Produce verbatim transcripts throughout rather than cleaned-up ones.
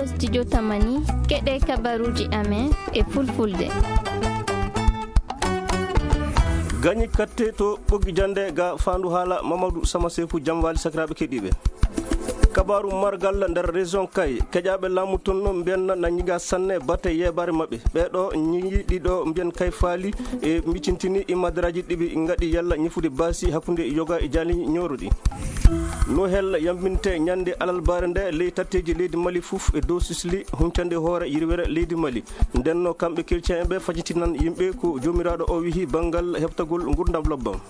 Studio Tamani, keɗe kabaruji amen e fulfulde. Gañi katte to ɓoggi jande ga fandu haala Mamadou Sama Sefu Jamwali sakiraɓe keɗiɓe. Kabaru margal nder région Kay, keƴaɓe laamu ton no mbiyanna na ñiga sanne batte yebare maɓɓe. Ɓeɗo ñigiɗiɗo mbiyan Kay faali e micintini imadaraji ɗiɓi ngaɗi yalla ñifude basi hakkunde yoga e jali ñoroɗi. No hel yambinte ñande alalbare nde ley tatteji leydi Mali fof e dow sisli huncande hoore yirwere leydi Mali. Ndenno kamɓe chrétien ɓe fajitinan yimɓe ko jomiraɗo o wihi banngal heɓtagol ngurdam lobbam.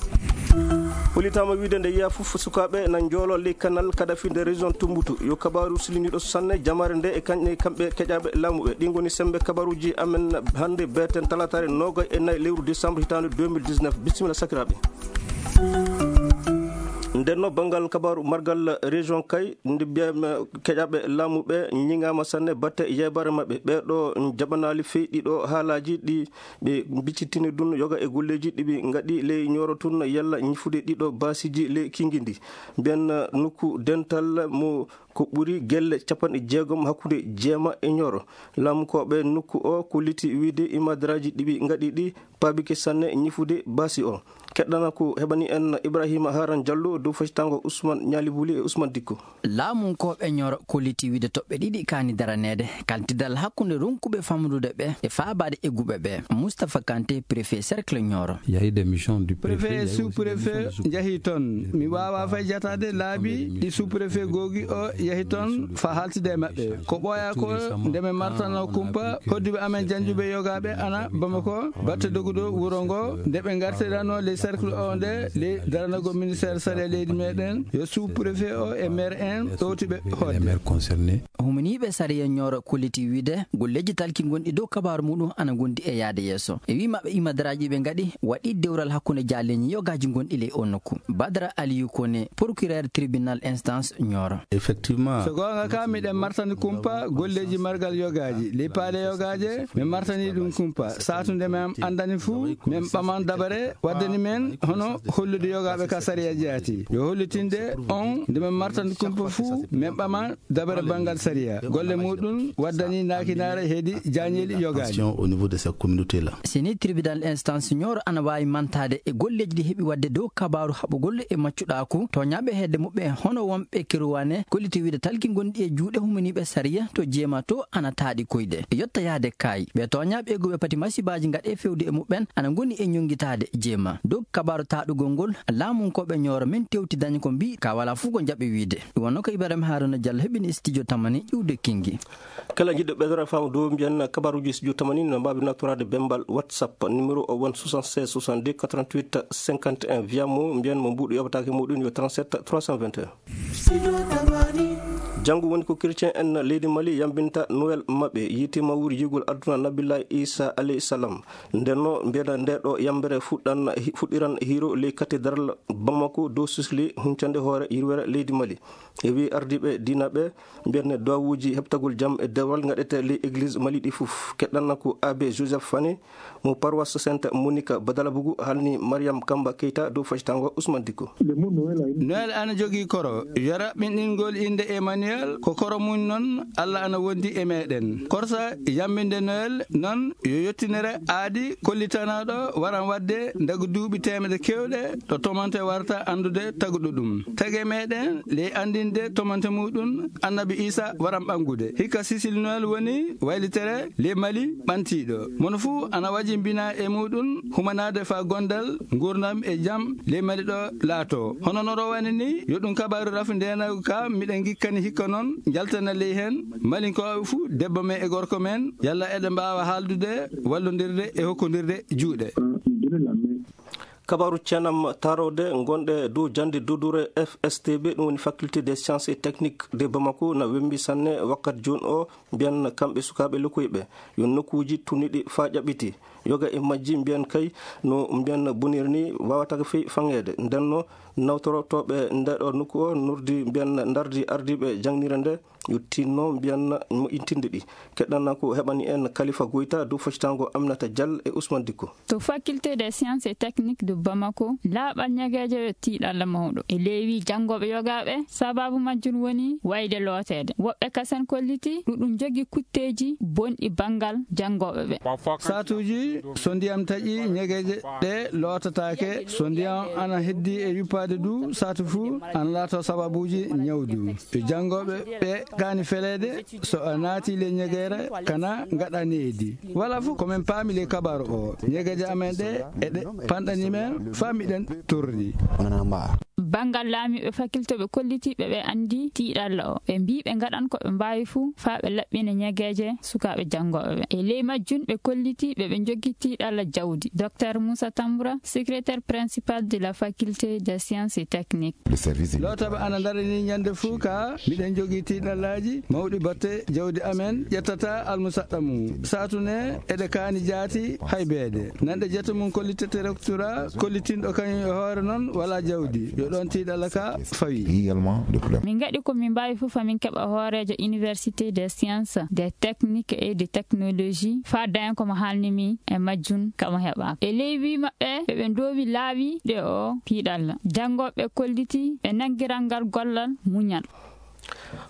Holitama wiide nde yiya fof sukaɓe na joolo ley kanal Kadafi nde région Tumbutu. Yo kabaru siliniɗo sanne jamare nde e kañƴe kamɓe keƴaɓe laamuɓe. Ɗi ngoni sembe kabaruji amen hande beten talatare noga e nayi lewru décembre hitande deux mille dix-neuf. Bisimilla sakiraɓe. Ndenno banngal kabaru margal région Kay nde mbiyam keƴaɓe laamuɓe ñiŋama sanne batte yeybare maɓɓe. Ɓeɗo jaɓanali fey ɗiɗo haalaji ɗi ɓe mbiccitini ɗum yoga e golleji ɗi ɓe ngaɗi ley ñoro tun yalla ñifude ɗiɗo basiji ley kingindi. Mbiyan nokku dental mo ko ɓuri gelle capanɗe jeegom hakkunde jeema e ñoro. Laamukoɓe nokku o kolliti wiide imadaraji ɗi ɓe ngaɗi ɗi paabike sanne ñifude basi o. Keɗɗana ko heɓani en Ibrahima Haran Diallo dow facitango Ousmane Ñalibuli e Ousmane Dikko. Laamunkooɓe ñoro kolliti wiide toɓɓe ɗiɗi kaani daraneede, kaltidal hakkunde ronkuɓe famɗude ɓe e faabaade egguɓe ɓe. Moustapha Kanté, préfet cercle Nioro. Préfet, sous-préfet njahi toon. Mi waawaa fay jataade laabi ɗi sous-préfet googi o yahi toon faa haaltida e maɓɓe. Ko ɓooyaa ko nde mi martano kumpa hodduɓe amen janjuɓe yogaaɓe ana Bamako, batte doguɗo wuro ngo, nde ɓe ngartiranoo ley cercle o nde, ley daranago ministère sariya leydi meɗen, yo sous-préfet o e maire en ɗowti ɓe hoodde. Huminiiɓe sariya Nioro kolliti wiide golleeji talki gonɗi dow kabaaru muɗum ana ngondi e yaade yeeso. E wii maɓɓe imadaraaji ɓe ngaɗi waɗi dewral hakkunde jaaleeji yogaaji gonɗi ley o nokku. Badara Aliyu Kone, procureur tribunal instance Nioro. So goonga ka, miɗen martani kumpa golleeji margal yogaaji. Ley paale yogaaje, mi martani ɗum kumpa. Saatunde mi am andani fuu, min ɓaman dabare waddani men hono hollude yogaaɓe ka sariya jaati. Yo hollitinde on nde min martani kumpa fuu, min ɓaman dabare banngal sariya. Golle muɗum waddani naakinaare hedi jaañeeli yogaaji. Au niveau de cette communauté-là. Si ni tribunal instance Nioro ana waawi mantaade e golleeji ɗi heɓi waɗde dow kabaaru haɓugol e maccuɗaaku, tooñaaɓe hedde muɓɓen hono wonɓe Keruwane, kolliti wiide talki gonɗi e juuɗe huminiiɓe sariya to jeema to ana taaɗi koyɗe. Yotta yaade kaayi, ɓe tooñaaɓe egguɓe pati masibaaji ngaɗe fewde e muɓɓen ana ngoni e ñonngitaade jeema. Dow kabaaru taaɗugol ngol, laamunkooɓe Nioro min tewti daña ko mbii ka walaa fuu ko njaɓi wiide. Ɗum wonno ko Ibrahima Haruna Diallo heɓini studio Tamani iwde Kingi. Kala jiɗɗo ɓeydora faamu dow mbiyen kabaruuji studio Tamani no mbaawi naftoraade bemmbal WhatsApp numéro o won soixante-seize soixante-deux quatre-vingt-huit cinquante et un via mo mbiyen mo mbuuɗu yoɓataake muɗum yo trente-sept trois cent vingt et un. Janngo woni ko chrétien en leydi Mali yambinta Noël maɓɓe, yiite mawri yigol aduna Nabillahi Isa alayhi salam. Ndenno mbiyata nde ɗo yambere fuɗɗan, fuɗɗiran hiiro ley cathédrale Bamako dow sisli huncande hoore yirwere leydi Mali. E wi ardiiɓe diina ɓe mbiyatne duwawuuji heɓtagol jam e dewal ngaɗete ley église Mali ɗi fof. Keɗɗanna ko abbé Joseph Fane mo paroisse Sainte Monica Badalabougou halni Mariam Kamba Keita dow facitango Ousmane Dicko. Noël ana jogii koro, yo raɓɓinɗingol innde Emmanuel, ko koro mum noon Allah ana wondi e meɗen. Korsa yambinde Noël noon yo yettinere aadi kollitanaaɗo waran waɗde ndagu duuɓi teemedde kewɗe ɗo tomante warta anndude taguɗo ɗum. Tagi meɗen ley anndinde tomante muɗum Annabi Isa waran ɓanngude. Hikka Cécile Noël woni waylitere ley Mali ɓantiiɗo. Mono fuu ana waji mbina e muɗum humanaade faa gondal, nguurndam e jam ley Mali ɗo laato. Hono no rowani ni, yo ɗum kabaaru rafi ndeenaagu ka miɗen ngikkani hikka noon njaltana ley heen Malinkooɓe fuu, debbo men e gorko men, yalla eɗen mbaawa haaldude, wallondirde e hokkondirde juuɗe. Kabaaru ceenam taarowde ngonɗe dow jannde dodure F S T B, ɗum woni Faculté des Sciences et Techniques de Bamako, na wembi sanne wakkati jooni o, mbiyan kamɓe sukaaɓe lokkoyɓe yo nokkuuji tunniɗi faa ƴaɓɓiti. Yoga e majji mbiyan kay no mbiyan boniri ni wawata ko fe-, fangeede. Nden no nawtorotooɓe nde ɗo nokku o nurdi mbiyan ndardi ardiiɓe jangnire nde yottinno mbiyan moƴƴintinde ɗi. Keɗɗana ko heɓani en Khalifa Goita dow foccitango Aminata Dial e Ousmane Dicko. To Faculté des Sciences et Techniques de Bamako, laaɓal ñageeje e tiiɗalla mawɗo. E leewi janngooɓe yogaaɓe, sababu majjum woni wayde looteede. Woɓɓe kasen kolliti ɗuɗum jogi kutteeji bonɗi banngal janngooɓe ɓe. Saatuuji, so ndiyam taƴi, ñegeeje ɗe lootataake. So ndiyam ana heddi e yuppaade du, saatu fuu ana laato sababuuji ñawdu. E janngooɓe ɓe kaani feleede, so a naati le ñegeere, kana ngaɗa needi. Wala fof ko min paami le kabaru o. Ñegeeje amen ɗe, eɗe panɗani men, faa miɗen torri. Banngal laamiiɓe faculté ɓe kolliti ɓe ɓe anndi tiiɗalla o. Ɓe mbii ɓe ngaɗan ko ɓe mbaawi fuu faa ɓe laɓɓina ñegeeje sukaaɓe janngooɓe ɓe. E ley majjum ɓe kolliti ɓe ɓe njogii tiiɗalla jawdi. Docteur Moussa Tamboura, secrétaire principal de la faculté des sciences et techniques. Lootaɓe ana ndarani ñande fuu ka miɗen jogii tiiɗallaaji mawɗi batte jawdi amen ƴettata almusaɗɗa mum. Saatu ne eɗe kaani jaati haybeede. Nanɗe jetta mum kollitete Tura kollitinɗo kañum e hoore noon wala jawdi. Yo ɗoon tiiɗalla ka fawi. Également de problème. Min ngaɗi ko min mbaawi fof, amin keɓa hooreejo Université des Sciences, des Techniques et des Technologies, faa daña ko mo haalni mi e majjum kamo heɓaaka. E ley wii maɓɓe, ɓe ɓe ndoowi laawi ɗe o tiiɗalla. Janngooɓe kolliti ɓe nanngiral ngal gollal muñal.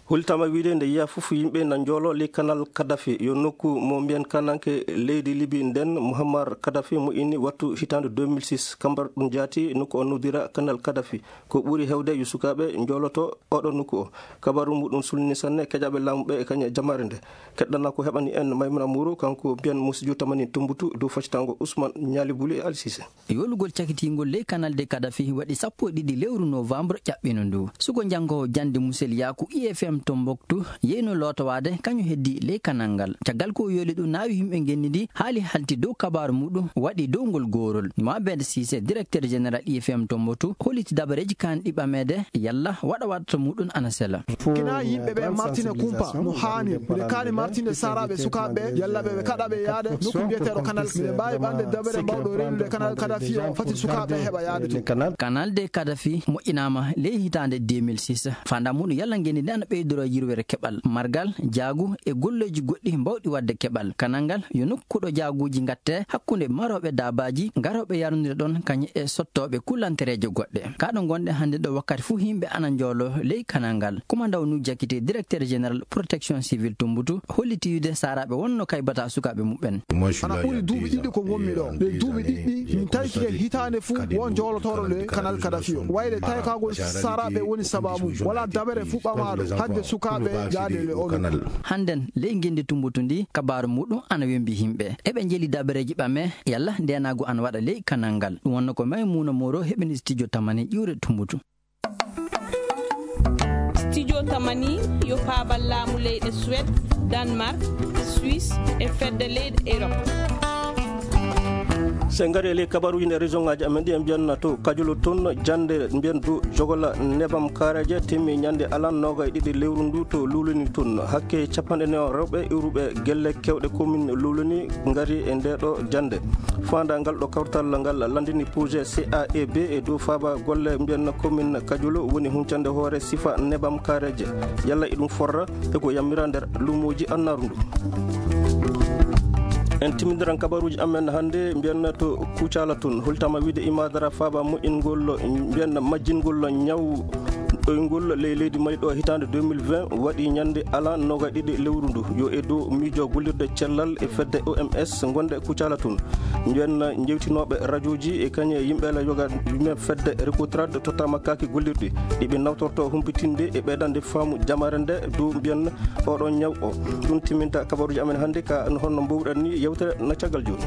Hultama wiide nde yiya fof yimɓe na njoolo ley kanal Kadhafi, yo nokku mo mbiyen kananke leydi Libi nden, Muammar Kadhafi mo inni wattu hitaande deux mille six. Kambar ɗum jaati nokku o nodira kanal Kadhafi. Ko ɓuri hewde yo sukaaɓe njooloto oɗo nokku o. Kabaru muɗum sulni sanne keƴaɓe laamu ɓe e kañe jamaare nde. Keɗɗana ko heɓani en Maymuna Muru, kanko mbiyen Musijo Tamani Tumbutu dow faccitango Ousmane Ñaali Buli e Ali Sise. Yoolugol cakitiingol ley kanal de Kadhafi waɗi sappo e ɗiɗi lewru novembre ƴaɓɓino ndu. Suko janngoowo jannde Musel Yaaku I F M Tombouctou yeyno lootowaade kañum heddi ley kanal ngal. Caggal ko yooli ɗum naawi yimɓe ngenndi ndi haali halti dow kabaaru muɗum waɗi dow ngol goorol. Mohamed Cissé, directeur général I F M Tombouctou, holliti dabareeji kaan ɗi ɓameede yalla waɗa waɗata muɗum ana sela. Kina yimɓe ɓe martine kumpa no haani. Miɗen kaani martinde saaraaɓe sukaaɓe yalla ɓe ɓe kaɗa ɓe yaade nokku mbiyeteeɗo kanal. Miɗen mbaawi ɓande dabere mawɗo reenude kanal Kadhafi o fati sukaaɓe heɓa yaade to. Kanal de Kadhafi moƴƴinaama ley hitaande deux mille six. Faandaare muɗum yalla ngenndi ndi ana ɓeydoro yirwere keɓal. Margal, jaagu e golleeji goɗɗi mbawɗi waɗde keɓal. Kanal ngal yo nokku ɗo jaaguuji ngatte hakkunde marooɓe daabaaji ngarooɓe yarnude ɗoon kañum e sottooɓe kulantereeje goɗɗe. Ka ɗo ngonɗen hannde ɗo wakkati fof yimɓe ana njoolo ley kanal ngal. Kumandaw Nuhu Jakite, directeur général protection civile Tombouctou, holliti wiide saaraaɓe wonno kaybata sukaaɓe muɓɓen. Ana ɓuri duuɓi ɗiɗi ko ngonmi ɗo. Ɗe duuɓi ɗiɗɗi min tawike hitaande fof won njoolotooɗo le kanal Kadhafi o. Wayde taykagol saaraaɓe woni sababu. Wala dabere fof ɓamaaɗo hadde sukaaɓe yaade le o nokku. Hannden ley ngenndi Tombouctou ndi kabaaru muɗum ana wembi yimɓe. Eɓe njeli dabareeji ɓame yalla ndeenaagu ana waɗa ley kanal ngal. Ɗum wonno ko Maymuna Moro heɓini studio Tamani ƴiwre Tombouctou. Studio Tamani yo paabal laamu leyɗe Suède, Danemark, Suisse e fedde leyɗe Europe. So en ngari e ley kabaruuji nder région ngaaji amen ɗi, en mbiyan to Kajolo toon, jannde mbiyen dow jogola nebam kaareeje timmi ñannde alan noogaye ɗiɗi lewru ndu to Luulani toon. Hakke capanɗe nayo rewɓe iwruɓe gelle kewɗe commune Luulani ngari e nde ɗo jannde. Faandaangal ɗo kawtal ngal lanndini projet C A E B e dow faaba golle mbiyen commune Kajolo woni huncande hoore sifa nebam kaareeje. Yalla e ɗum forra e ko yammira nder luumooji annaaru ndu. En timmindiran kabaruuji amen hannde mbiyen to Kucala toon. Hultama wiide imadara faaba moƴƴingol mbiyen majjingol ñaw ɗoyngol ley leydi Mali ɗo hitaande deux mille vingt waɗi ñannde alan noogaye ɗiɗi lewru ndu. Yo e dow miijo gollirde cellal e fedde O M S ngonde Kucala toon. Mbiyen jewtinooɓe rajooji e kañe yimɓe la yoga yimɓe fedde Recotrade tottama kaaki gollirɗi ɗi ɓe nawtorto humpitinde e ɓeydande faamu jamaare nde dow mbiyen oɗo ñaw o. Ɗum timminta kabaruuji amen hannde ka no honno mbowɗen ni yewtere na caggal jooni.